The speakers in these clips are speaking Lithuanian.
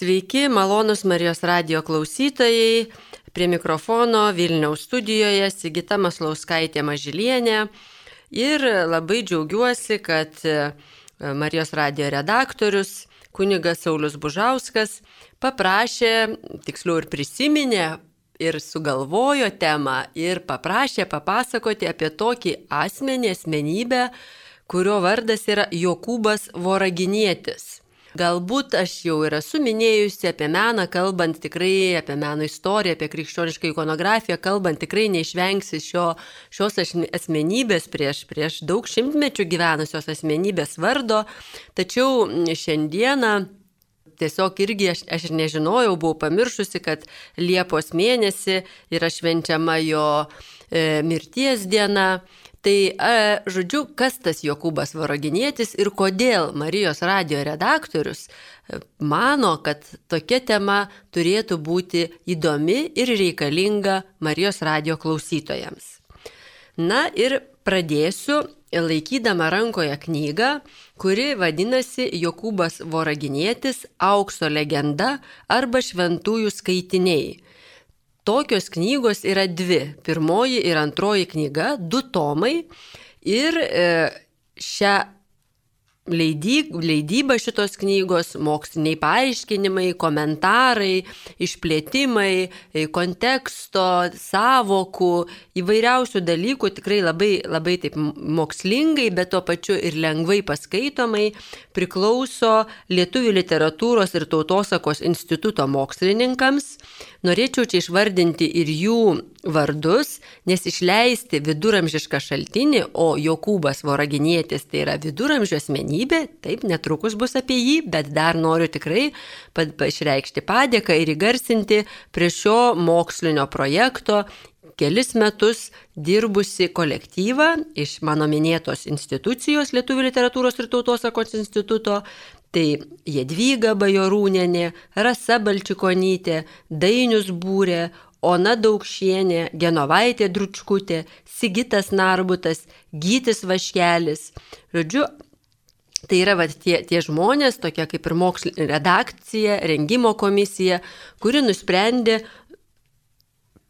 Sveiki, malonus Marijos radijo klausytojai. Prie mikrofono Vilniaus studijoje Sigita Maslauskaitė Mažylienė. Ir labai džiaugiuosi, kad Marijos radijo redaktorius kunigas Saulius Bužauskas paprašė, tiksliau ir prisiminė, ir sugalvojo temą ir paprašė papasakoti apie tokį asmenybę, kurio vardas yra Jokūbas Voraginietis. Galbūt aš jau ir esu minėjusi apie meną, kalbant tikrai apie meno istoriją, apie krikščionišką ikonografiją, kalbant tikrai neišvengsi šios asmenybės prieš daug šimtmečių gyvenusios asmenybės vardo. Tačiau šiandieną tiesiog irgi aš ir nežinojau, buvau pamiršusi, kad Liepos mėnesį yra švenčiama jo mirties diena. Tai, žodžiu, kas tas Jokūbas Voraginietis ir kodėl Marijos radijo redaktorius mano, kad tokia tema turėtų būti įdomi ir reikalinga Marijos radijo klausytojams. Na ir pradėsiu laikydama rankoje knygą, kuri vadinasi Jokūbas Voraginietis Aukso legenda arba Šventųjų skaitiniai. Tokios knygos yra dvi. Pirmoji ir antroji knyga, 2 tomai. Ir šią leidybą šitos knygos, moksliniai paaiškinimai, komentarai, išplėtimai, konteksto, sąvokų, įvairiausių dalykų tikrai labai taip mokslingai, bet tuo pačiu ir lengvai paskaitomai priklauso Lietuvių literatūros ir tautosakos instituto mokslininkams. Norėčiau čia išvardinti ir jų vardus, nes išleisti viduramžišką šaltinį, o Jokūbas Voraginietis tai yra viduramžių asmenybė, taip netrukus bus apie jį, bet dar noriu tikrai išreikšti padėką ir įgarsinti prie šio mokslinio projekto kelis metus dirbusi kolektyvą iš mano minėtos institucijos Lietuvių literatūros ir tautosakos instituto. Tai Jadvyga Bajorūnienė, Rasa Balčikonytė, Dainius Būrė, Ona Daukšienė, Genovaitė Dručkutė, Sigitas Narbutas, Gytis Vaškelis. Žodžiu, tai yra tie žmonės, tokia kaip ir mokslinė redakcija, rengimo komisija, kuri nusprendė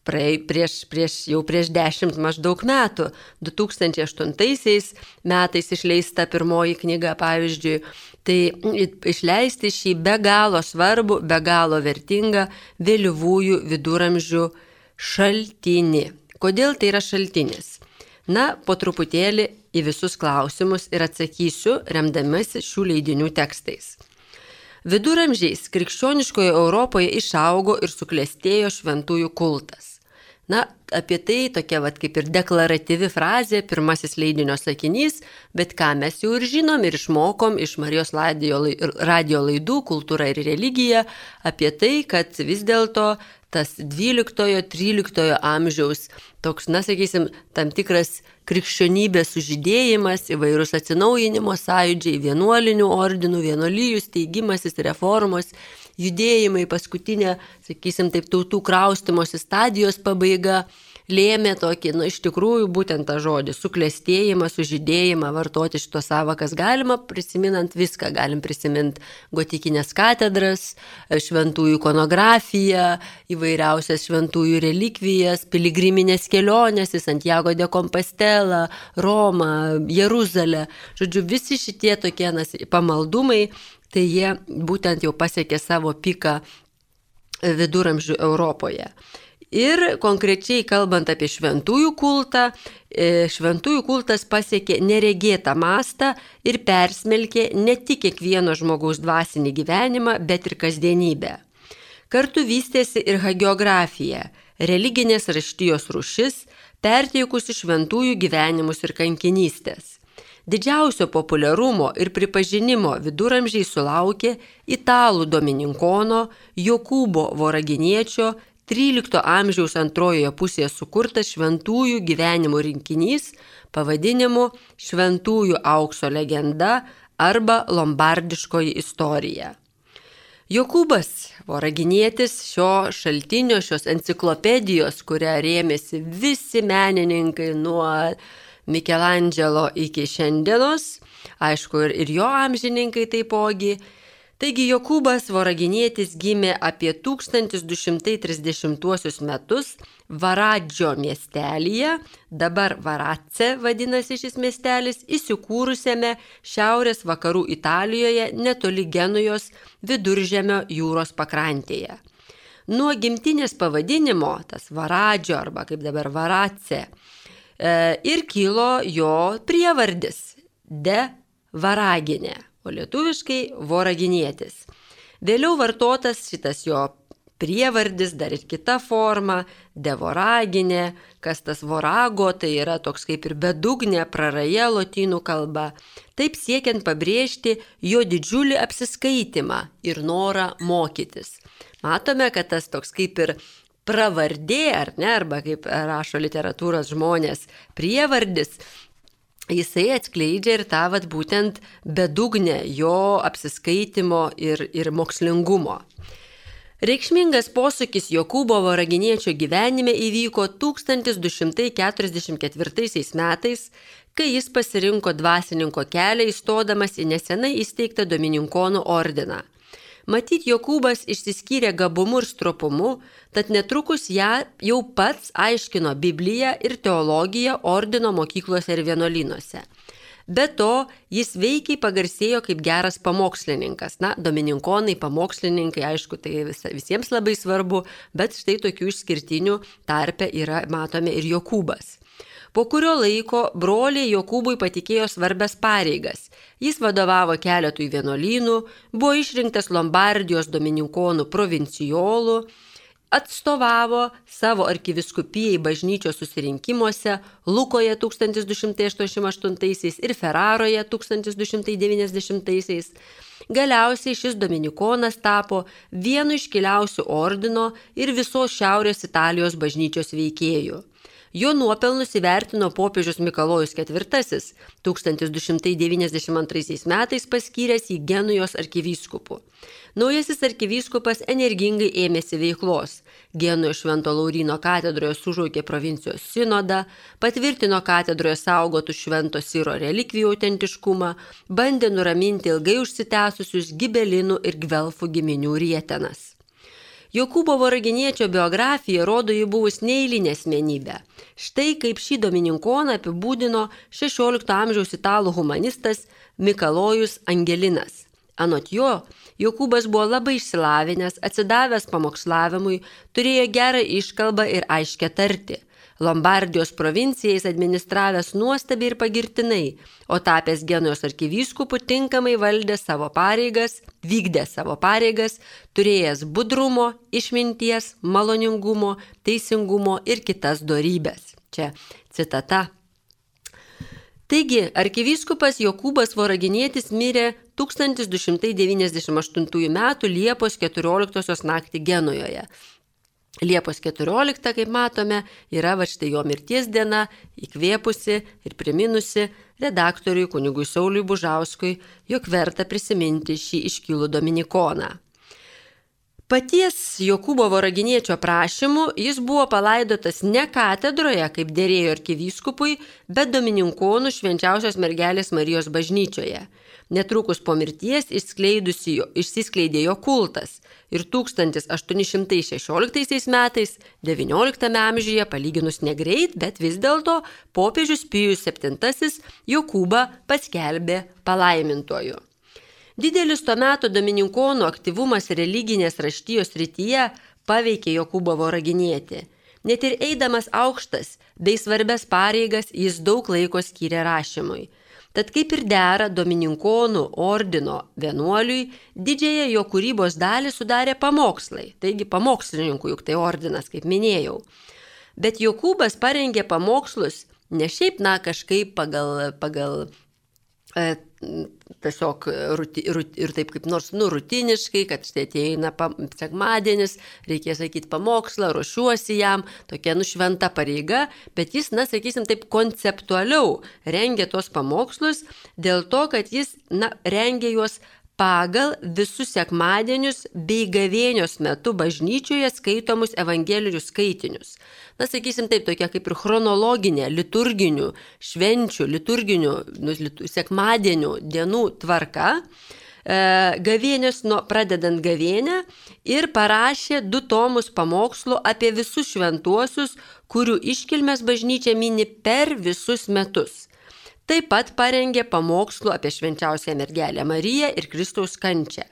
prieš 10 maždaug metų, 2008 metais išleista pirmoji knyga, pavyzdžiui, tai išleisti šį be galo svarbų, be galo vertingą vėlyvųjų viduramžių šaltinį. Kodėl tai yra šaltinis? Na, po truputėlį į visus klausimus ir atsakysiu, remdamasi šių leidinių tekstais. Viduramžiais krikščioniškoje Europoje išaugo ir suklestėjo šventųjų kultas. Na, apie tai tokia kaip ir deklaratyvi frazė, pirmasis leidinio sakinys, bet ką mes jau ir žinom ir išmokom iš Marijos radijo laidų Kultūra ir religija, apie tai, kad vis dėlto tas 12-13 amžiaus toks, sakysim, tam tikras krikščionybės sužydėjimas, įvairūs atsinaujinimo sąjūdžiai, vienuolinių ordinų, vienuolijų steigimasis, reformos, judėjimai, paskutinė, sakysim, taip tautų kraustimosi stadijos pabaiga lėmė tokį, iš tikrųjų, būtent tą žodį, suklestėjimą, sužydėjimą, vartoti šitos sąvokas galima, prisiminant viską, galim prisiminti gotikinės katedras, šventųjų ikonografiją, įvairiausias šventųjų relikvijas, piligriminės kelionės į Santiago de Compostela, Romą, Jeruzalę. Žodžiu, visi šitie tokie pamaldumai, tai jie būtent jau pasiekė savo piką viduramžių Europoje. Ir konkrečiai kalbant apie šventųjų kultą, šventųjų kultas pasiekė neregėtą mastą ir persmelkė ne tik kiekvieno žmogaus dvasinį gyvenimą, bet ir kasdienybę. Kartu vystėsi ir hagiografija, religinės raštijos rūšis, perteikusi šventųjų gyvenimus ir kankinystės. Didžiausio populiarumo ir pripažinimo viduramžiai sulaukė italų domininkono Jokūbo Voraginiečio 13 amžiaus antrojoje pusėje sukurtas šventųjų gyvenimo rinkinys pavadinimu Šventųjų aukso legenda arba Lombardiškoji istorija. Jokūbas Voraginietis šio šaltinio, šios enciklopedijos, kuria rėmėsi visi menininkai nuo Mikelandželo iki šiandienos, aišku, ir jo amžininkai taipogi, Taigi Jokūbas Voraginietis gimė apie 1230 metus Varadžio miestelyje, dabar Varadze vadinasi šis miestelis, įsikūrusiame šiaurės vakarų Italijoje netoli Genujos Viduržemio jūros pakrantėje. Nuo gimtinės pavadinimo, tas Varadžio arba kaip dabar Varadze, ir kilo jo prievardis de Varaginė, o lietuviškai Voraginietis. Vėliau vartotas šitas jo prievardis, dar ir kita forma, de Voraginė, kas tas vorago, tai yra toks kaip ir bedugnė, praraja lotynų kalba, taip siekiant pabrėžti jo didžiulį apsiskaitimą ir norą mokytis. Matome, kad tas toks kaip ir pravardė, ar ne, arba kaip rašo literatūros žmonės, prievardis, jisai atskleidžia ir tą būtent bedugnę jo apsiskaitimo ir mokslingumo. Reikšmingas posūkis Jokūbo Voraginiečio gyvenime įvyko 1244 metais, kai jis pasirinko dvasininko kelią įstodamas į nesenai įsteigtą Domininkonų ordiną. Matyt, Jokūbas išsiskyrė gabumu ir stropumu, tad netrukus ją jau pats aiškino Bibliją ir teologiją ordino mokyklose ir vienuolynuose. Be to, jis veikiai pagarsėjo kaip geras pamokslininkas. Domininkonai, pamokslininkai, aišku, tai visiems labai svarbu, bet štai tokių išskirtinių tarpe yra, matome, ir Jokūbas. Po kurio laiko broliai Jokūbui patikėjo svarbias pareigas. Jis vadovavo keletui vienuolynų, buvo išrinktas Lombardijos Domininkonų provincijolų, atstovavo savo arkivyskupijai bažnyčios susirinkimuose Lukoje 1288 ir Ferraroje 1290. Galiausiai šis dominikonas tapo vienu iškiliausių ordino ir visos Šiaurės Italijos bažnyčios veikėjų. Jo nuopelnus įvertino popiežius Mikalojus IV 1292 metais paskyręs į Genujos arkivyskupu. Naujasis arkivyskupas energingai ėmėsi veiklos. Genujos Švento Lauryno katedroje sužaukė provincijos sinodą, patvirtino katedroje saugotų Švento Siro relikvijų autentiškumą, bandė nuraminti ilgai užsitęsusius Gibelinų ir Gvelfų giminių rietenas. Jokūbo Voraginiečio biografija rodo jį buvus neeilinė asmenybė. Štai kaip šį domininkoną apibūdino 16 amžiaus italų humanistas Mikalojus Angelinas. Anot jo, Jokūbas buvo labai išsilavinęs, atsidavęs pamokslavimui, turėjo gerą iškalbą ir aiškę tartį. Lombardijos provincijai jis administravęs nuostabiai ir pagirtinai, o tapęs Genujos arkivyskupu tinkamai vykdė savo pareigas, turėjęs budrumo, išminties, maloningumo, teisingumo ir kitas dorybes. Čia citata. Taigi, arkivyskupas Jokūbas Voraginietis mirė 1298 m. Liepos 14 naktį Genujoje. Liepos 14, kaip matome, yra štai jo mirties diena, įkvėpusi ir priminusi redaktoriui kunigui Sauliui Bužauskui, jog verta prisiminti šį iškilų dominikoną. Paties Jokūbo Voraginiečio prašymu jis buvo palaidotas ne katedroje, kaip derėjo arkivyskupui, bet Domininkonų Švenčiausios mergelės Marijos bažnyčioje. Netrukus po mirties išsiskleidė jo kultas ir 1816 metais, XIX amžiuje, palyginus negreit, bet vis dėlto popiežius Pijus VII Jokūbą paskelbė palaimintuoju. Didelis to meto domininkonų aktyvumas religinės raštijos srityje paveikė Jokūbą Voraginietį. Net ir eidamas aukštas bei svarbias pareigas jis daug laiko skyrė rašymui. Tad kaip ir dera domininkonų ordino vienuoliui, didžiąją jo kūrybos dalį sudarė pamokslai, taigi pamokslininkų, juk tai ordinas, kaip minėjau. Bet Jokūbas parengė pamokslus ne šiaip, kažkaip pagal tiesiog ir taip kaip nors rutiniškai, kad štai ateina sekmadienis, reikės sakyti pamokslą, ruošiuosi jam, tokia šventa pareiga, bet jis, sakysim, taip konceptualiau rengė tos pamokslus dėl to, kad jis, rengė juos pagal visus sekmadienius bei gavėnios metu bažnyčioje skaitomus evangelijos skaitinius. Sakysim taip, tokia kaip ir chronologinė, liturginių švenčių, liturginių sekmadienių dienų tvarka. pradedant gavėnę ir parašė 2 tomus pamokslų apie visus šventuosius, kurių iškilmes bažnyčia mini per visus metus. Taip pat parengė pamokslų apie švenčiausią mergelę Mariją ir Kristaus kančią.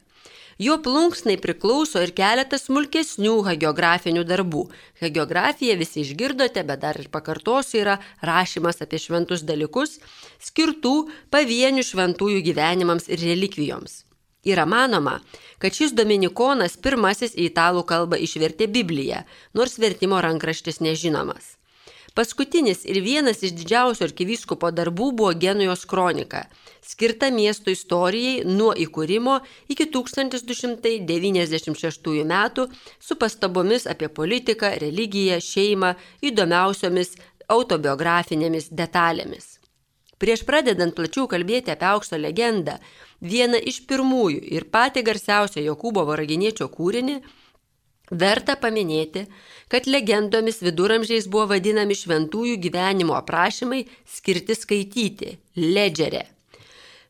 Jo plunksnai priklauso ir keletas smulkesnių hagiografinių darbų. Hagiografija visi išgirdote, bet dar ir pakartosiu, yra rašymas apie šventus dalykus, skirtų pavienių šventųjų gyvenimams ir relikvijoms. Yra manoma, kad šis dominikonas pirmasis į italų kalbą išvertė Bibliją, nors vertimo rankraštis nežinomas. Paskutinis ir vienas iš didžiausių arkivyskupo darbų buvo Genujos kronika, skirta miesto istorijai nuo įkūrimo iki 1296 metų su pastabomis apie politiką, religiją, šeimą, įdomiausiomis autobiografinėmis detalėmis. Prieš pradedant plačiau kalbėti apie aukso legendą, vieną iš pirmųjų ir patį garsiausią Jokūbo Voraginiečio kūrinį, verta paminėti, kad legendomis viduramžiais buvo vadinami šventųjų gyvenimo aprašymai skirti skaityti – ledžerė.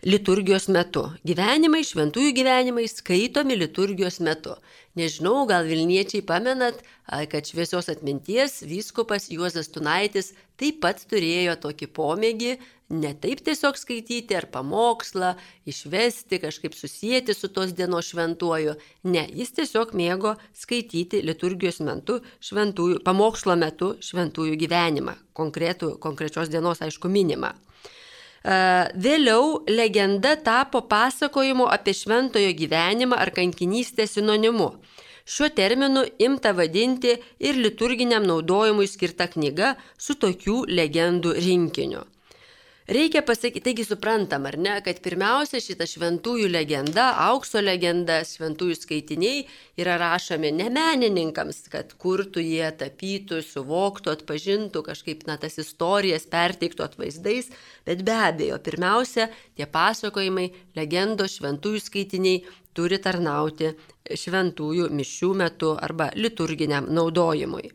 Liturgijos metu. Gyvenimai, šventųjų gyvenimai skaitomi liturgijos metu. Nežinau, gal Vilniečiai pamenat, kad šviesios atminties vyskupas Juozas Tunaitis taip pat turėjo tokį pomėgį, ne taip tiesiog skaityti ar pamokslą, išvesti, kažkaip susijęti su tos dienos šventuoju. Ne, jis tiesiog mėgo skaityti liturgijos metu, pamokslo metu šventųjų gyvenimą, konkrečios dienos, aišku, minimą. Vėliau legenda tapo pasakojimu apie šventojo gyvenimą ar kankinystę sinonimu. Šiuo terminu imta vadinti ir liturginiam naudojimui skirta knyga su tokių legendų rinkiniu. Reikia pasakyti, taigi suprantam, ar ne, kad pirmiausia šita šventųjų legenda, aukso legenda, šventųjų skaitiniai yra rašomi ne menininkams, kad kurtų jie, tapytų, suvoktų, atpažintų, kažkaip tas istorijas perteiktų atvaizdais, bet be abejo, pirmiausia, tie pasakojimai, legendos, šventųjų skaitiniai turi tarnauti šventųjų mišių metu arba liturginiam naudojimui.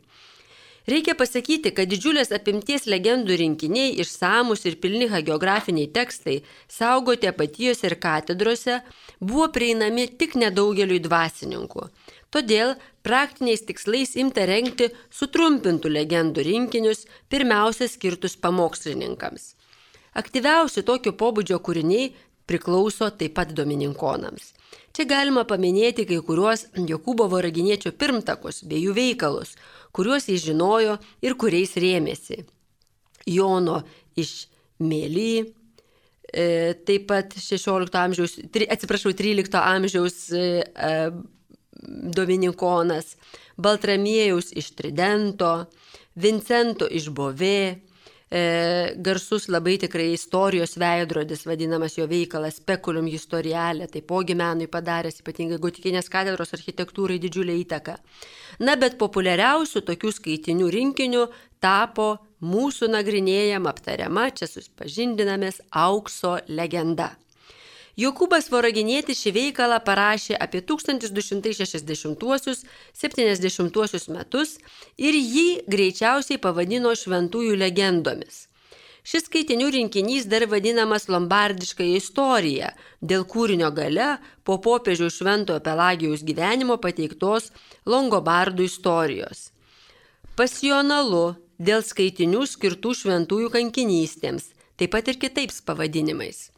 Reikia pasakyti, kad didžiulės apimties legendų rinkiniai, išsamus ir pilni hagiografiniai tekstai, saugoti apatijose ir katedrose, buvo prieinami tik nedaugeliui dvasininkų. Todėl praktiniais tikslais imta rengti sutrumpintų legendų rinkinius, pirmiausia skirtus pamokslininkams. Aktyviausi tokio pobūdžio kūriniai priklauso taip pat domininkonams. Čia galima paminėti kai kuriuos Jokūbo Voraginiečio pirmtakus bei jų veikalus, kuriuos jis žinojo ir kuriais rėmėsi. Jono iš Mėly, taip pat 13 amžiaus dominikonas, Baltramiejaus iš Tridento, Vincento iš Bovė, garsus labai tikrai istorijos veidrodis, vadinamas jo veikalas Speculum Historiale, taipogi menui padaręs ypatingai gotikinės katedros architektūrai didžiulę įtaką. Na, bet populiariausių tokių skaitinių rinkinių tapo mūsų nagrinėjama, aptariama, čia susipažindinamės aukso legenda. Jokūbas Voraginietis šį veikalą parašė apie 1260–70 metus ir jį greičiausiai pavadino šventųjų legendomis. Šis skaitinių rinkinys dar vadinamas lombardiška istorija, dėl kūrinio gale po popiežiaus Šventojo Pelagijaus gyvenimo pateiktos Longobardų istorijos. Pasionalu dėl skaitinių skirtų šventųjų kankinystėms, taip pat ir kitais pavadinimais.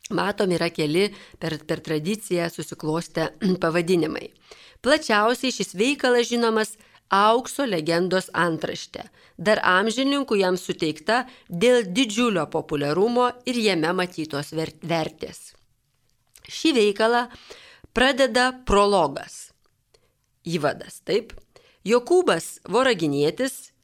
Matom, yra keli per tradiciją susiklostę pavadinimai. Plačiausiai šis veikalas žinomas aukso legendos antraštė, dar amžininkų jam suteikta dėl didžiulio populiarumo ir jame matytos vertės. Šį veikalą pradeda prologas, įvadas, taip. Jokūbas Voraginietis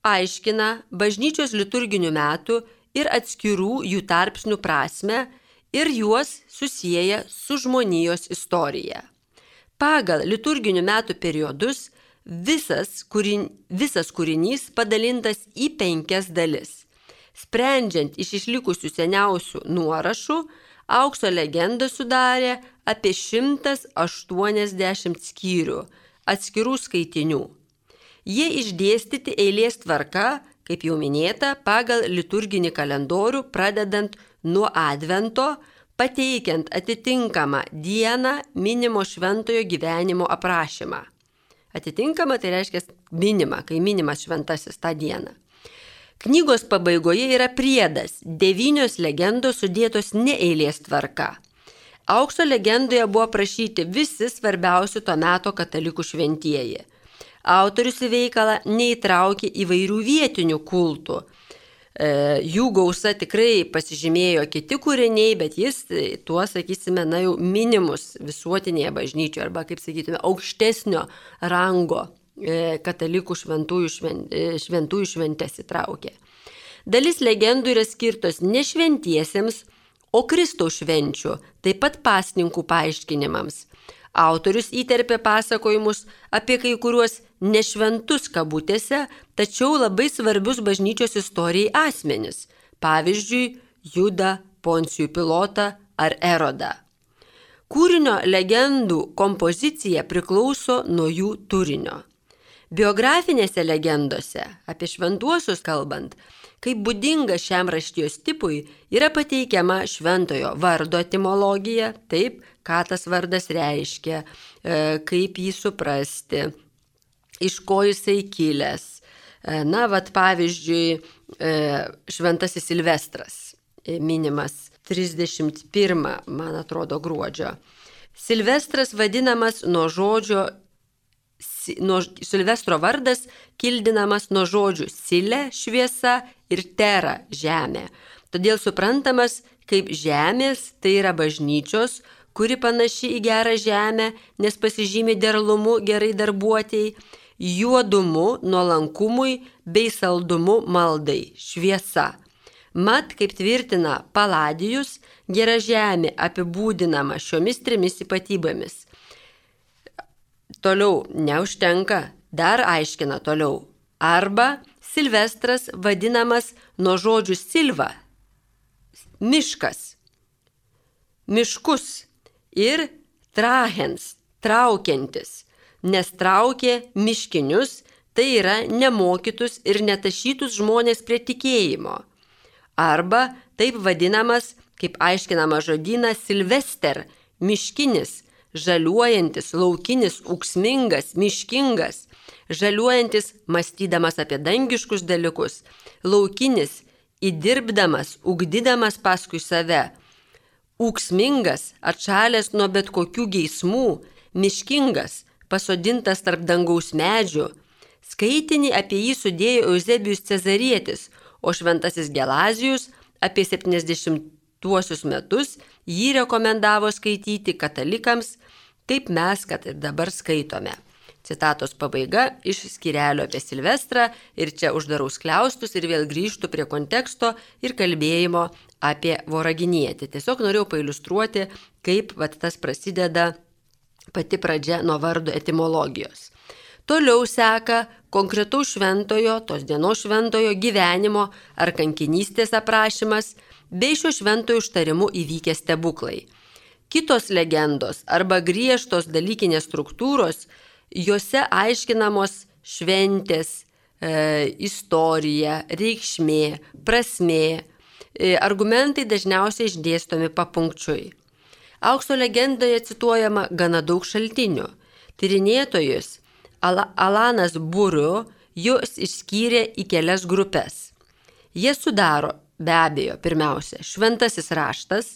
aiškina bažnyčios liturginių metų ir atskirų jų tarpsnių prasmę ir juos susieja su žmonijos istorija. Pagal liturginių metų periodus visas kūrinys padalintas į 5 dalis. Sprendžiant iš išlikusių seniausių nuorašų, aukso legenda sudarė apie 180 skyrių atskirų skaitinių. Jie išdėstyti eilės tvarka, kaip jau minėta, pagal liturginį kalendorių, pradedant nuo Advento, pateikiant atitinkamą dieną minimo šventojo gyvenimo aprašymą. Atitinkama tai reiškia minima, kai minimas šventasis tą dieną. Knygos pabaigoje yra priedas, 9 legendos sudėtos ne eilės tvarka. Aukso legendoje buvo aprašyti visi svarbiausi to meto katalikų šventieji. Autorius į veikalą neįtraukė įvairių vietinių kultų. Jų gausa tikrai pasižymėjo kiti kūriniai, bet jis tuo, sakysime, jau minimus visuotinėje bažnyčioje arba, kaip sakytume, aukštesnio rango katalikų šventųjų šventes įtraukė. Dalis legendų yra skirtos ne šventiesiems, o Kristaus švenčių, taip pat pasninkų paaiškinimams. Autorius įterpė pasakojimus apie kai kuriuos nešventus kabutėse, tačiau labai svarbius bažnyčios istorijai asmenis, pavyzdžiui, Judą, Poncijų Pilotą ar Erodą. Kūrinio legendų kompozicija priklauso nuo jų turinio. Biografinėse legendose, apie šventuosius kalbant, kaip būdinga šiam raštijos tipui, yra pateikiama šventojo vardo etimologija, taip, ką tas vardas reiškia, kaip jį suprasti, iš ko jisai kilęs. Pavyzdžiui, šventasis Silvestras, minimas 31, man atrodo, gruodžio. Silvestras vadinamas Silvestro vardas kildinamas nuo žodžių silė, šviesa ir tera, žemė. Todėl suprantamas kaip žemės, tai yra bažnyčios, kuri panaši į gerą žemę, nes pasižymi derlumu gerai darbuotėjai, juodumu nuolankumui bei saldumu maldai, šviesa. Mat, kaip tvirtina Paladijus, gera žemė apibūdinama šiomis 3 ypatybėmis. Toliau neužtenka, dar aiškina toliau. Arba Silvestras vadinamas nuo žodžių silva, miškas, miškus ir trahens, traukiantis, nes traukė miškinius, tai yra nemokytus ir netašytus žmonės prie tikėjimo. Arba taip vadinamas, kaip aiškinama žodyną, Silvester, miškinis, žaliuojantis, laukinis, ūksmingas, miškingas, žaliuojantis, mąstydamas apie dangiškus dalykus, laukinis, įdirbdamas, ugdydamas paskui save, ūksmingas, atšalęs nuo bet kokių geismų, miškingas, pasodintas tarp dangaus medžių. Skaitinį apie jį sudėjo Euzebijus Cezarietis, o šventasis Gelazijus apie 70-uosius metus jį rekomendavo skaityti katalikams, kaip mes, kad ir dabar skaitome. Citatos pabaiga iš skyrelio apie Silvestrą ir čia uždarau skliaustus ir vėl grįžtu prie konteksto ir kalbėjimo apie Voraginietį. Tiesiog norėjau pailiustruoti, kaip tas prasideda pati pradžia nuo vardo etimologijos. Toliau seka konkretaus šventojo, tos dienos šventojo gyvenimo ar kankinystės aprašymas bei šio šventojo užtarimu įvykę stebuklai. Kitos legendos arba griežtos dalykinės struktūros, juose aiškinamos šventės, istorija, reikšmė, prasmė, argumentai dažniausiai išdėstomi papunkčiui. Aukso legendoje cituojama gana daug šaltinių. Tyrinėtojus Alanas Buriu juos išskyrė į kelias grupės. Jie sudaro be abejo pirmiausia šventasis raštas,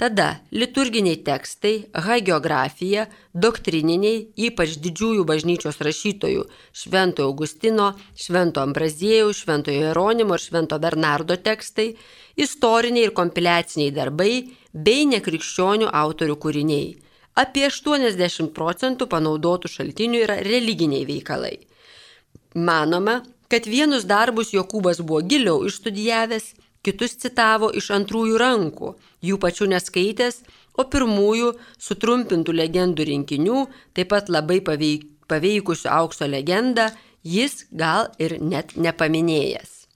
tada liturginiai tekstai, hagiografija, doktrininiai, ypač didžiųjų bažnyčios rašytojų Šventojo Augustino, Švento Ambraziejaus, Šventojo Jeronimo ir Švento Bernardo tekstai, istoriniai ir kompiliaciniai darbai bei nekrikščionių autorių kūriniai. Apie 80% panaudotų šaltinių yra religiniai veikalai. Manoma, kad vienus darbus Jokūbas buvo giliau išstudijavęs, kitus citavo iš antrųjų rankų, jų pačių neskaitęs, o pirmųjų sutrumpintų legendų rinkinių, taip pat labai paveikusių aukso legendą, jis gal ir net nepaminėjęs.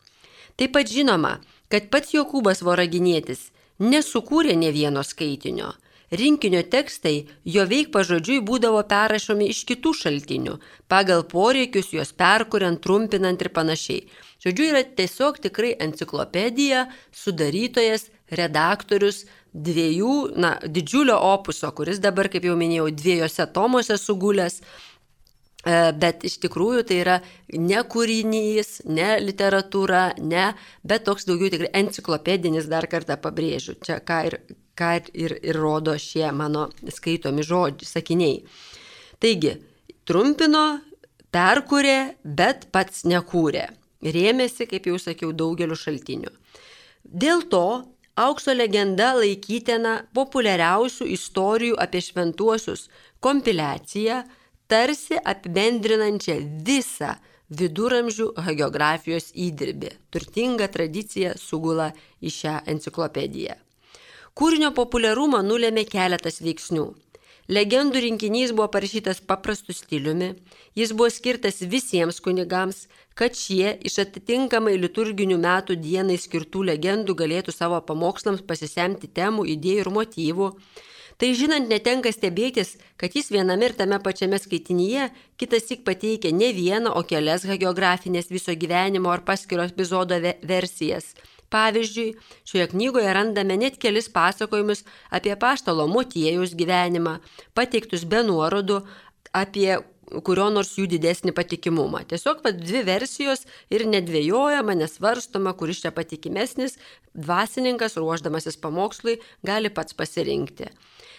Taip pat žinoma, kad pats Jokūbas Voraginietis nesukūrė nė vieno skaitinio. Rinkinio tekstai jo veik pažodžiui būdavo perrašomi iš kitų šaltinių, pagal poreikius juos perkuriant, trumpinant ir panašiai. Žodžiu, yra tiesiog tikrai enciklopedija, sudarytojas redaktorius didžiulio opuso, kuris dabar, kaip jau minėjau, 2 tomuose sugulęs, bet iš tikrųjų tai yra ne kūrinys, ne literatūra, bet toks daugiau tikrai enciklopedinis, dar kartą pabrėžiu, čia ką ir rodo šie mano skaitomi sakiniai. Taigi, trumpino, perkūrė, bet pats nekūrė. Rėmėsi, kaip jau sakiau, daugeliu šaltinių. Dėl to Aukso legenda laikytina populiariausių istorijų apie šventuosius kompiliaciją, tarsi apibendrinančią visą viduramžių hagiografijos įdirbį. Turtinga tradicija sugula į šią enciklopediją. Kūrinio populiarumą nulėmė keletas veiksnių. Legendų rinkinys buvo parašytas paprastu stiliumi, jis buvo skirtas visiems kunigams, kad šie iš atitinkamai liturginių metų dienai skirtų legendų galėtų savo pamokslams pasisemti temų, idėjų ir motyvų. Tai žinant, netenka stebėtis, kad jis viename ir tame pačiame skaitinyje kitąsyk pateikia ne vieną, o kelias hagiografinės viso gyvenimo ar paskiro epizodo versijas. Pavyzdžiui, šioje knygoje randame net kelis pasakojimus apie apaštalo Motiejaus gyvenimą, pateiktus be nuorodų apie kurio nors jų didesnį patikimumą. Tiesiog 2 versijos ir nedvejojama, nesvarstoma, kuris čia patikimesnis, dvasininkas, ruošdamasis pamokslui, gali pats pasirinkti.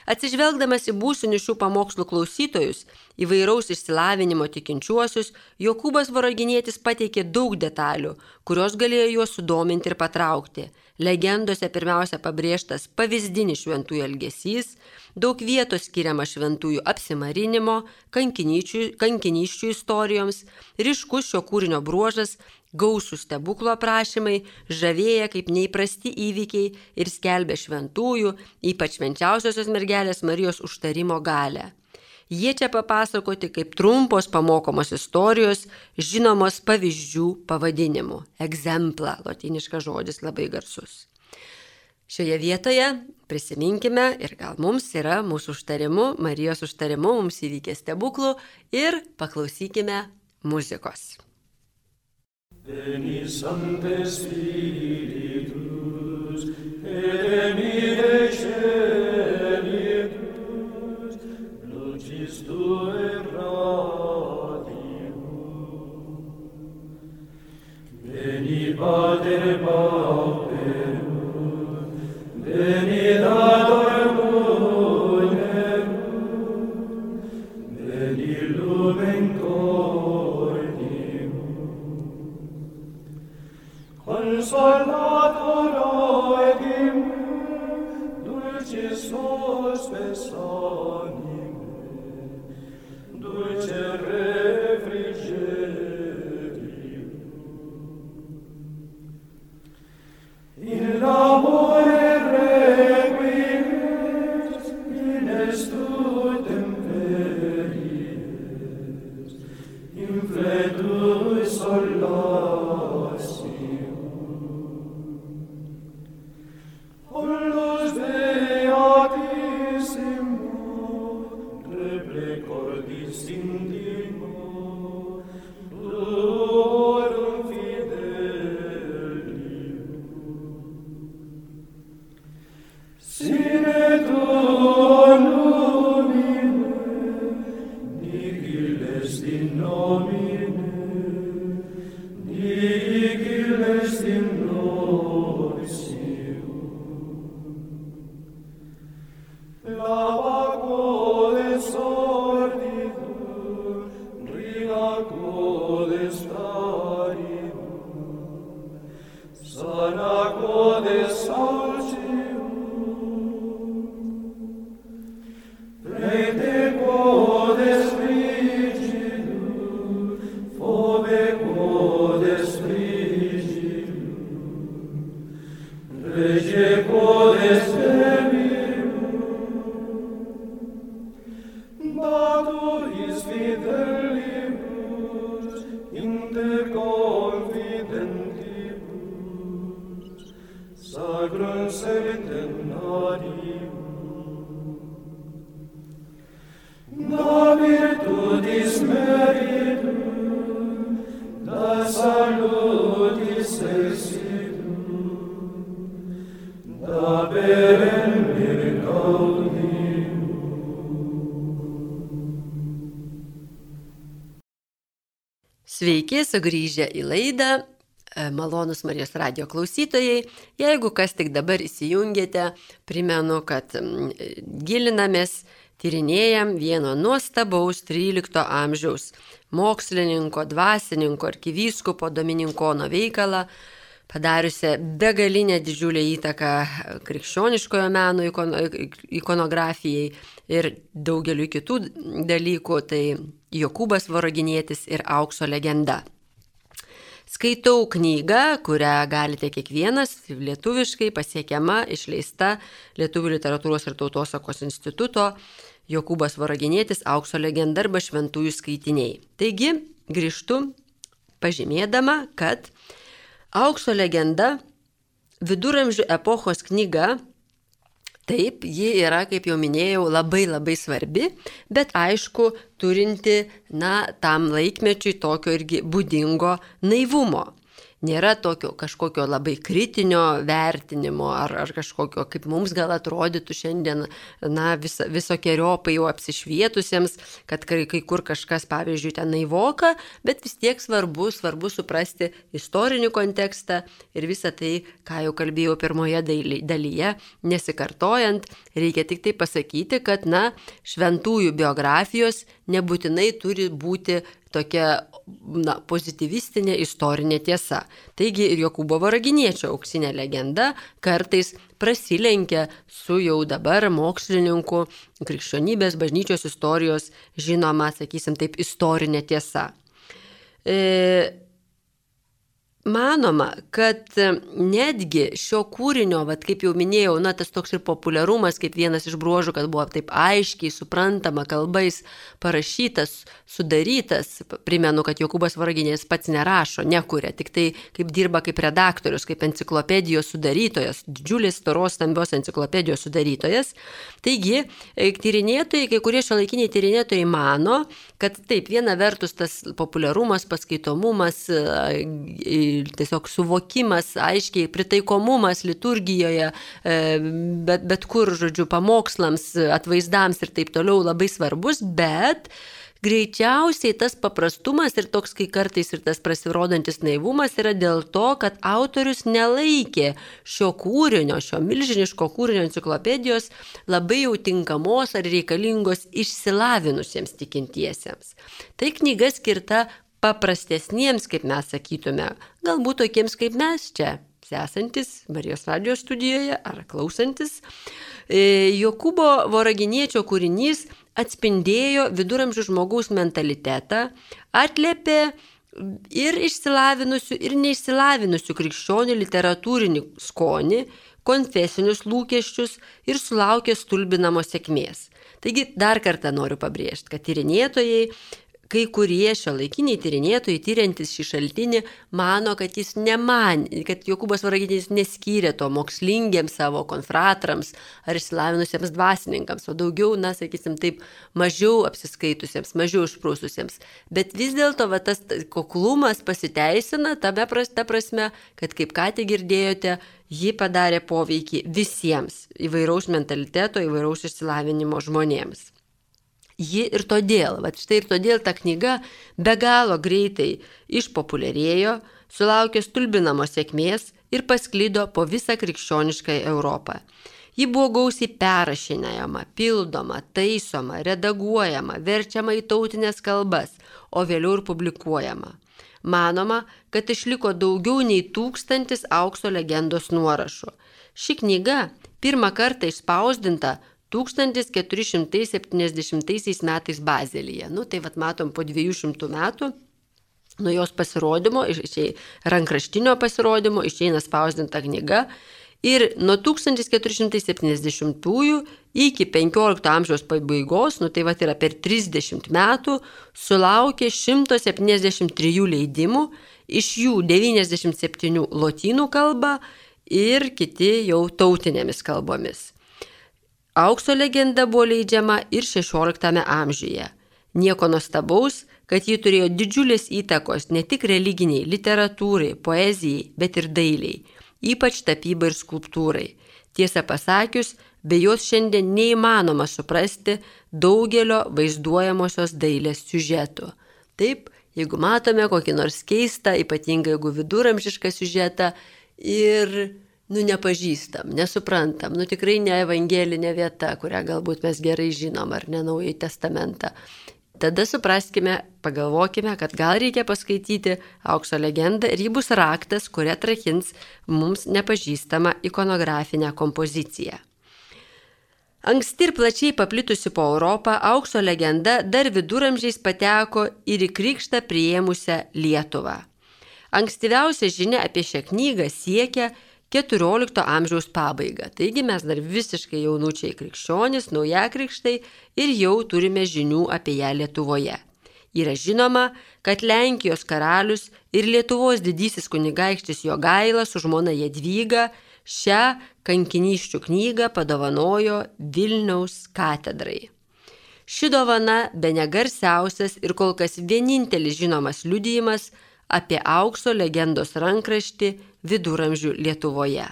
Atsižvelgdamas į būsinius šių pamokslų klausytojus, įvairaus išsilavinimo tikinčiuosius, Jokūbas Voroginietis pateikė daug detalių, kurios galėjo juos sudominti ir patraukti. Legendose pirmiausia pabrėžtas pavyzdinis šventųjų elgesys, daug vietos skiriama šventųjų apsimarinimo, kankinysčių istorijoms, ryškus šio kūrinio bruožas, gausų stebuklų aprašymai, žavėja kaip neįprasti įvykiai ir skelbia šventųjų, ypač švenčiausiosios mergelės Marijos užtarimo galią. Jie čia papasakoti kaip trumpos pamokomos istorijos, žinomos pavyzdžių pavadinimu. Exempla, lotyniškas žodis labai garsus. Šioje vietoje prisiminkime ir gal mums yra mūsų užtarimu, Marijos užtarimu, mums įvykė stebuklų ir paklausykime muzikos. Veni Sancte Spiritus, et emire celitus, lucis Tue radium. Veni Pater Pauperum, veni Dator Munerum, veni Lumen Consolator oegim, dulcis hospes anime, dulce refrigerium. In labore requies, in estu temperies, in fletus solasi. Da Sveiki, sugrįžę į laidą, malonus Marijos radijo klausytojai. Jeigu kas tik dabar įsijungėte, primenu, kad gilinamės, tyrinėjam vieno nuostabaus 13 amžiaus mokslininko, dvasininko, arkivyskupo Dominikono veikalą, padariusią begalinę didžiulę įtaką krikščioniškojo meno ikonografijai ir daugeliu kitų dalykų, tai Jokūbas Voroginietis ir Aukso legenda. Skaitau knygą, kurią galite kiekvienas, lietuviškai pasiekiama, išleista Lietuvių literatūros ir tautosakos instituto, Jokūbas Voroginietis, Aukso legenda arba šventųjų skaitiniai. Taigi, grįžtu pažymėdama, kad Aukso legenda viduramžių epochos knyga, taip, ji yra, kaip jau minėjau, labai svarbi, bet aišku, turinti, tam laikmečiui tokio irgi būdingo naivumo. Nėra tokio kažkokio labai kritinio vertinimo ar kažkokio, kaip mums gal atrodytų šiandien, visokiojopai jau apsišvietusiems, kad kai kur kažkas, pavyzdžiui, ten naivoka, bet vis tiek svarbu suprasti istorinį kontekstą ir visą tai, ką jau kalbėjau pirmoje dalyje, nesikartojant, reikia tik tai pasakyti, kad, šventųjų biografijos nebūtinai turi būti tokia pozityvistinė istorinė tiesa. Taigi ir Jokūbo Voroginiečio auksinė legenda kartais prasilenkia su jau dabar mokslininku krikščionybės bažnyčios istorijos žinoma, sakysim taip, istorinė tiesa. Manoma, kad netgi šio kūrinio, kaip jau minėjau, tas toks ir populiarumas, kaip vienas iš bruožų, kad buvo taip aiškiai, suprantama, kalbais parašytas, sudarytas. Primenu, kad Jokūbas Voroginietis pats nerašo, nekuria, tik tai kaip dirba kaip redaktorius, kaip enciklopedijos sudarytojas, didžiulės storos stambios enciklopedijos sudarytojas. Taigi, tyrinėtojai, kai kurie šiuolaikiniai tyrinėtojai mano, kad taip, viena vertus tas populiarumas, paskaitomumas, tiesiog suvokimas, aiškiai pritaikomumas liturgijoje, bet kur, žodžiu, pamokslams, atvaizdams ir taip toliau labai svarbus, bet greičiausiai tas paprastumas ir toks, kai kartais ir tas prasirodantis naivumas yra dėl to, kad autorius nelaikė šio kūrinio, šio milžiniško kūrinio enciklopedijos labai jau tinkamos ar reikalingos išsilavinusiems tikintiesiems. Tai knyga skirta paprastesniems, kaip mes sakytume, galbūt tokiems kaip mes čia, esantis Marijos radijo studijoje ar klausantis. Jokūbo Voroginiečio kūrinys atspindėjo viduramžių žmogaus mentalitetą, atliepė ir išsilavinusių, ir neišsilavinusių krikščionių literatūrinį skonį, konfesinius lūkesčius ir sulaukė stulbinamos sėkmės. Taigi dar kartą noriu pabrėžti, kad tyrinėtojai, kai kurie šiuolaikiniai tyrinėtojai, tyriantis šį šaltinį, mano, kad kad Jokūbas Voroginietis neskyrė to mokslingiems savo konfratrams ar išsilavinusiems dvasininkams, o daugiau, sakysim taip, mažiau apsiskaitusiems, mažiau išprūsusiems. Bet vis dėlto tas kuklumas pasiteisina ta prasme, kad kaip ką tik girdėjote, ji padarė poveikį visiems įvairaus mentaliteto, įvairaus išsilavinimo žmonėms. Ji ir todėl ta knyga be galo greitai išpopuliarėjo, sulaukė stulbinamos sėkmės ir pasklido po visą krikščionišką Europą. Ji buvo gausiai perrašinėjama, pildoma, taisoma, redaguojama, verčiama į tautinės kalbas, o vėliau ir publikuojama. Manoma, kad išliko daugiau nei 1000 Aukso legendos nuorašų. Ši knyga pirmą kartą išspausdinta 1470 metais Bazelyje. Tai matom po 200 metų nuo jos pasirodymo, rankraštinio pasirodymo, išeina spausdinta knyga ir nuo 1470 iki 15 amžiaus pabaigos, yra per 30 metų, sulaukė 173 leidimų, iš jų 97 lotynų kalba ir kiti jau tautinėmis kalbomis. Aukso legenda buvo leidžiama ir 16 amžiuje. Nieko nuostabaus, kad ji turėjo didžiulės įtakos ne tik religiniai, literatūrai, poezijai, bet ir dailiai, ypač tapybai ir skulptūrai. Tiesą pasakius, be jos šiandien neįmanoma suprasti daugelio vaizduojamosios dailės siužetų. Taip, Jeigu matome kokį nors keistą, ypatingai jeigu viduramžišką siužetą ir nepažįstam, nesuprantam, tikrai ne evangelinė vieta, kurią galbūt mes gerai žinom, ar ne Naująjį testamentą. Tada supraskime, pagalvokime, kad gal reikia paskaityti Aukso legendą ir ji bus raktas, kuria atrakins mums nepažįstamą ikonografinę kompoziciją. Anksti ir plačiai paplitusi po Europą, Aukso legenda dar viduramžiais pateko ir į krikštą priėmusią Lietuvą. Ankstyviausia žinia apie šią knygą siekia XIV amžiaus pabaigą. Taigi mes dar visiškai jaunučiai krikščionys, naujakrikštai ir jau turime žinių apie ją Lietuvoje. Yra žinoma, kad Lenkijos karalius ir Lietuvos didysis kunigaikštis Jogaila su žmona Jadvyga šią kankinysčių knygą padovanojo Vilniaus katedrai. Ši dovana bene garsiausias ir kol kas vienintelis žinomas liudijimas apie Aukso legendos rankraštį viduramžių Lietuvoje.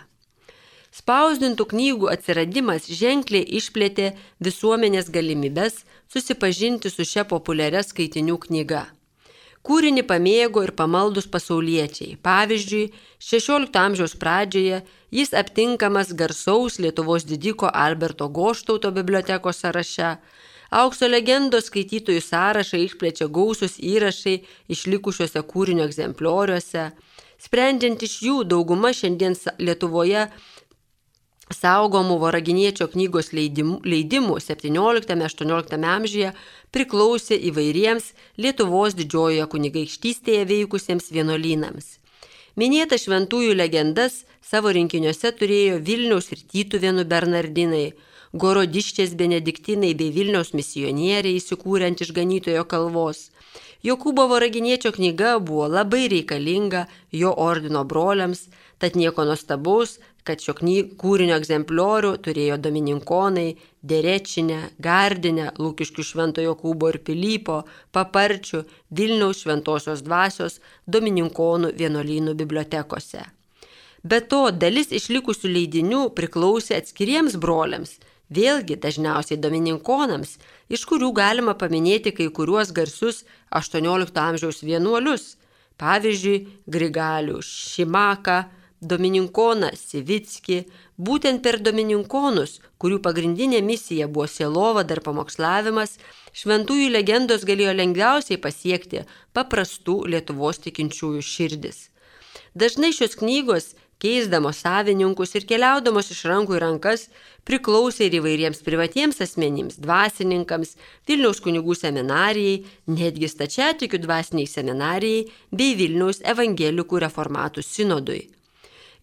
Spausdintų knygų atsiradimas ženkliai išplėtė visuomenės galimybes susipažinti su šia populiaria skaitinių knyga. Kūrinį pamėgo ir pamaldus pasauliečiai. Pavyzdžiui, XVI amžiaus pradžioje jis aptinkamas garsaus Lietuvos didiko Alberto Goštauto bibliotekos sąraše. Aukso legendos skaitytojų sąrašą išplečia gausus įrašai išlikusiuose kūrinio egzemplioriuose. Sprendžiant iš jų, dauguma šiandien Lietuvoje saugomų Voraginiečio knygos leidimų 17-18 amžiuje priklausė įvairiems Lietuvos didžiojoje kunigaikštystėje veikusiems vienuolynams. Minėta šventųjų legendas savo rinkiniuose turėjo Vilniaus ir Tytuvėnų bernardinai, Gorodiščės benediktinai bei Vilniaus misionieriai įsikūrent iš Ganytojo kalvos. Jokūbo Voraginiečio knyga buvo labai reikalinga jo ordino broliams, tad nieko nuostabaus, kad šio kūrinio egzempliorių turėjo domininkonai, Derečinė, Gardinė, Lukiškių Švento Jokūbo ir Pilypo, Paparčių, Vilniaus Šventosios dvasios, domininkonų vienuolynų bibliotekose. Be to, dalis išlikusių leidinių priklausė atskiriems broliams, vėlgi dažniausiai domininkonams, iš kurių galima paminėti kai kuriuos garsius XVIII amžiaus vienuolius, pavyzdžiui, Grigalių Šimaką, domininkoną Sivickį. Būtent per domininkonus, kurių pagrindinė misija buvo sielovada ir pamokslavimas, šventųjų legendos galėjo lengviausiai pasiekti paprastų Lietuvos tikinčiųjų širdis. Dažnai šios knygos, keisdamos savininkus ir keliaudamos iš rankų į rankas, priklausė ir įvairiems privatiems asmenims, dvasininkams, Vilniaus kunigų seminarijai, netgi stačiatikių dvasiniai seminarijai bei Vilniaus evangelikų reformatų sinodui.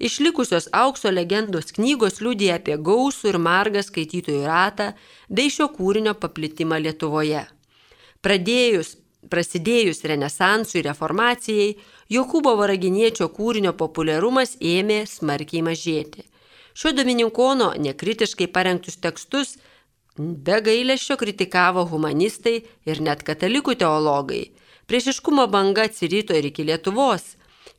Išlikusios Aukso legendos knygos liudija apie gausų ir margą skaitytojų ratą bei šio kūrinio paplitimą Lietuvoje. Prasidėjus Renesansui ir Reformacijai, Jokūbo Voraginiečio kūrinio populiarumas ėmė smarkiai mažėti. Šio domininkono nekritiškai parengtus tekstus be gailesčio kritikavo humanistai ir net katalikų teologai. Priešiškumo banga atsirito ir iki Lietuvos.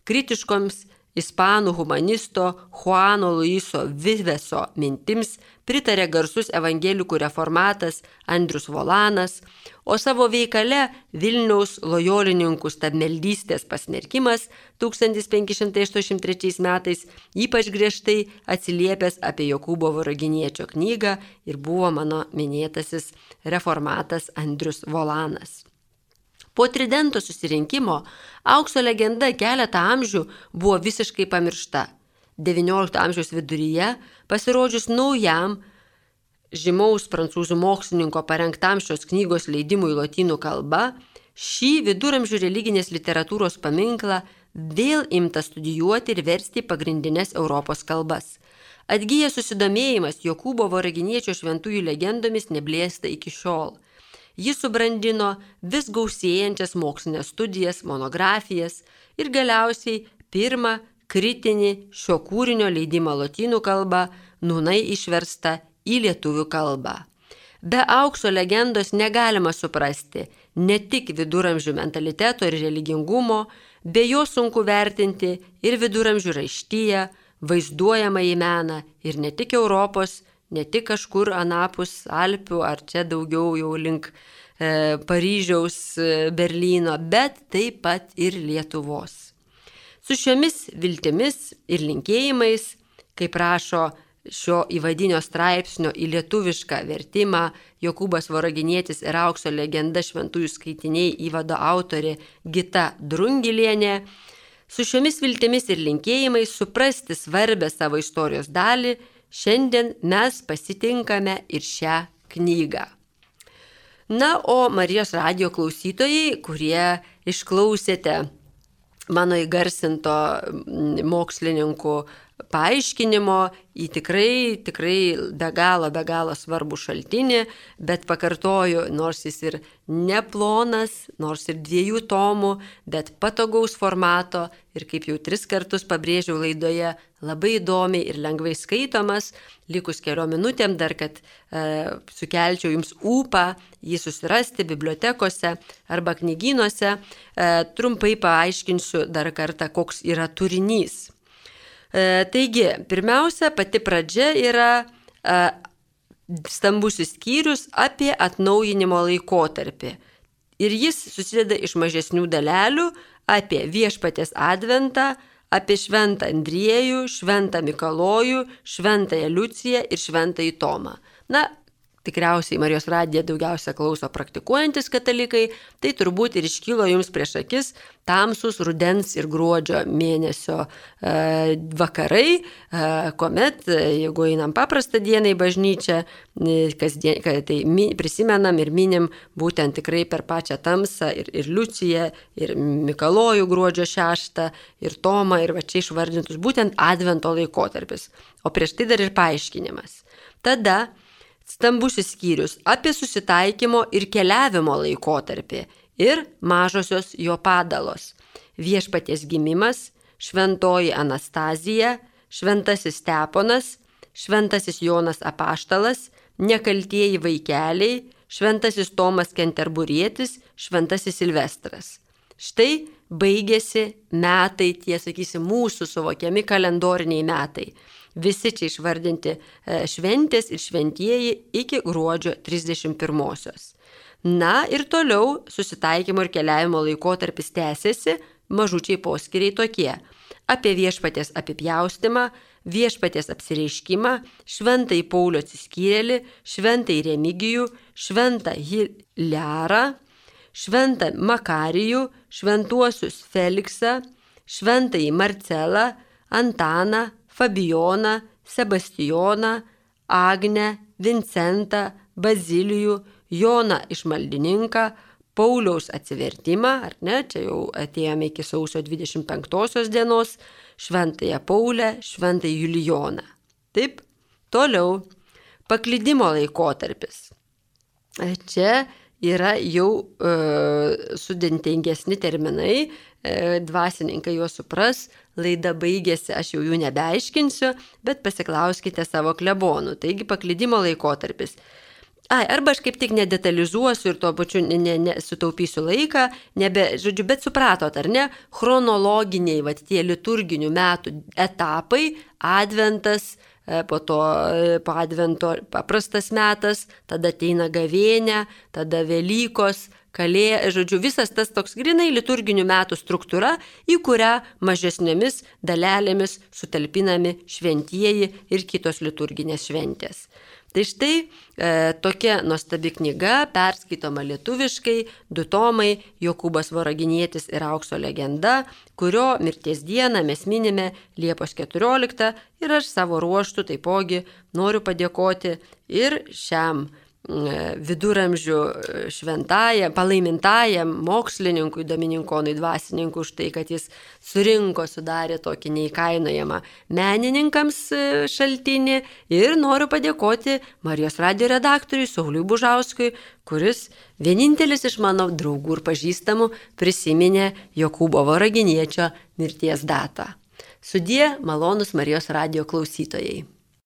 Kritiškoms ispanų humanisto Juano Luiso Viveso mintims pritarė garsus evangelikų reformatas Andrius Volanas, o savo veikale Vilniaus lojolininkų stabmeldystės pasmerkimas 1583 metais ypač griežtai atsiliepęs apie Jokūbo Voraginiečio knygą ir buvo mano minėtasis reformatas Andrius Volanas. Po Tridento susirinkimo Aukso legenda keletą amžių buvo visiškai pamiršta. XIX amžiaus viduryje, pasirodžius naujam žymaus prancūzų mokslininko parengtam šios knygos leidimui lotynų kalba, šį viduramžių religinės literatūros paminklą vėl imta studijuoti ir versti pagrindinės Europos kalbas. Atgyjęs susidomėjimas Jokūbo Voraginiečio šventųjų legendomis neblėsta iki šiol. Jis subrandino vis gausėjančias mokslinės studijas, monografijas ir galiausiai pirmą kritinį šio kūrinio leidimą lotynų kalba, nūnai išversta į lietuvių kalbą. Be Aukso legendos negalima suprasti ne tik viduramžių mentaliteto ir religingumo, be jo sunku vertinti ir viduramžių raištyje, vaizduojamąjį meną ir ne tik Europos, ne tik kažkur anapus Alpių ar čia daugiau jau link Paryžiaus, Berlyno, bet taip pat ir Lietuvos. Su šiomis viltimis ir linkėjimais, kaip rašo šio įvadinio straipsnio į lietuvišką vertimą Jokūbas Voraginietis ir Aukso legenda šventųjų skaitiniai įvado autorė Gita Drungilienė, su šiomis viltimis ir linkėjimais suprasti svarbę savo istorijos dalį, šiandien mes pasitinkame ir šią knygą. Na, o Marijos radijo klausytojai, kurie išklausėte mano įgarsinto mokslininkų paaiškinimo į tikrai be galo svarbų šaltinį, bet pakartoju, nors jis ir neplonas, nors ir 2 tomų, bet patogaus formato ir kaip jau 3 kartus pabrėžiau laidoje, labai įdomiai ir lengvai skaitomas, likus keliom minutėm dar, kad sukelčiau jums ūpą jį susirasti bibliotekose arba knygynuose, trumpai paaiškinsiu dar kartą, koks yra turinys. Taigi, pirmiausia, pati pradžia yra stambusis skyrius apie atnaujinimo laikotarpį. Ir jis susideda iš mažesnių dalelių apie viešpaties adventą, apie šventą Andriejų, šventą Mikalojų, šventąją Liuciją ir šventąjį Tomą. Na, tikriausiai Marijos radiją daugiausia klauso praktikuojantis katalikai, tai turbūt ir iškilo jums prieš akis tamsus rudens ir gruodžio mėnesio vakarai, kuomet, jeigu einam paprastą dieną į bažnyčią, tai prisimenam ir minim būtent tikrai per pačią tamsą ir Liuciją, ir Mikalojų gruodžio 6, ir Tomą, ir va čia išvardintus būtent advento laikotarpis. O prieš tai dar ir paaiškinimas. Tada stambusis skyrius apie susitaikymo ir keliavimo laikotarpį ir mažosios jo padalos. Viešpaties gimimas, šventoji Anastazija, šventasis Steponas, šventasis Jonas Apaštalas, nekaltieji vaikeliai, šventasis Tomas Kenterburietis, šventasis Silvestras. Štai baigėsi metai, tie, sakysim, mūsų suvokiami kalendoriniai metai. Visi čia išvardinti šventės ir šventieji iki gruodžio 31-osios. Na ir toliau susitaikymo ir keliavimo laikotarpis tęsiasi, mažučiai poskyriai tokie: apie viešpaties apipjaustymą, viešpaties apsireiškimą, šventąjį Paulių atsiskyrėlį, šventąjį Remigijų, šventą Hilerą, šventą Makarijų, šventuosius Feliksą, šventąjį Marcelą, Antaną, Fabijoną, Sebastijoną, Agnę, Vincentą, Bazilijų, Joną Išmaldininką, Pauliaus atsivertimą, ar ne, čia jau atėjome iki sausio 25 dienos, šventąją Paulę, šventąjį Julijoną. Taip, toliau, paklydimo laikotarpis. Čia yra jau sudėtingesni terminai, dvasininkai juos supras, laida baigėsi, aš jau jų nebeaiškinsiu, bet pasiklauskite savo klebonų. Taigi paklydimo laikotarpis. Arba aš kaip tik nedetalizuosiu ir tuo pačiu sutaupysiu laiką, bet supratot, ar ne, chronologiniai, tie liturginių metų etapai, adventas, po to po advento paprastas metas, tada ateina gavėnia, tada Velykos, visas tas toks grinai liturginių metų struktūra, į kurią mažesnėmis dalelėmis sutalpinami šventieji ir kitos liturginės šventės. Tai štai tokia nuostabi knyga, perskaitoma lietuviškai, 2 tomai, Jokūbas Voraginietis ir Aukso legenda, kurio mirties dieną mes minime Liepos 14 ir aš savo ruožtu taipogi noriu padėkoti ir šiam viduramžių šventajam, palaimintajam mokslininkui Domininkonui dvasininkui už tai, kad jis sudarė tokį neįkainojamą menininkams šaltinį, ir noriu padėkoti Marijos radijo redaktoriui Sauliui Bužauskui, kuris vienintelis iš mano draugų ir pažįstamų prisiminė Jokūbo Voraginiečio mirties datą. Sudie, malonūs Marijos radijo klausytojai.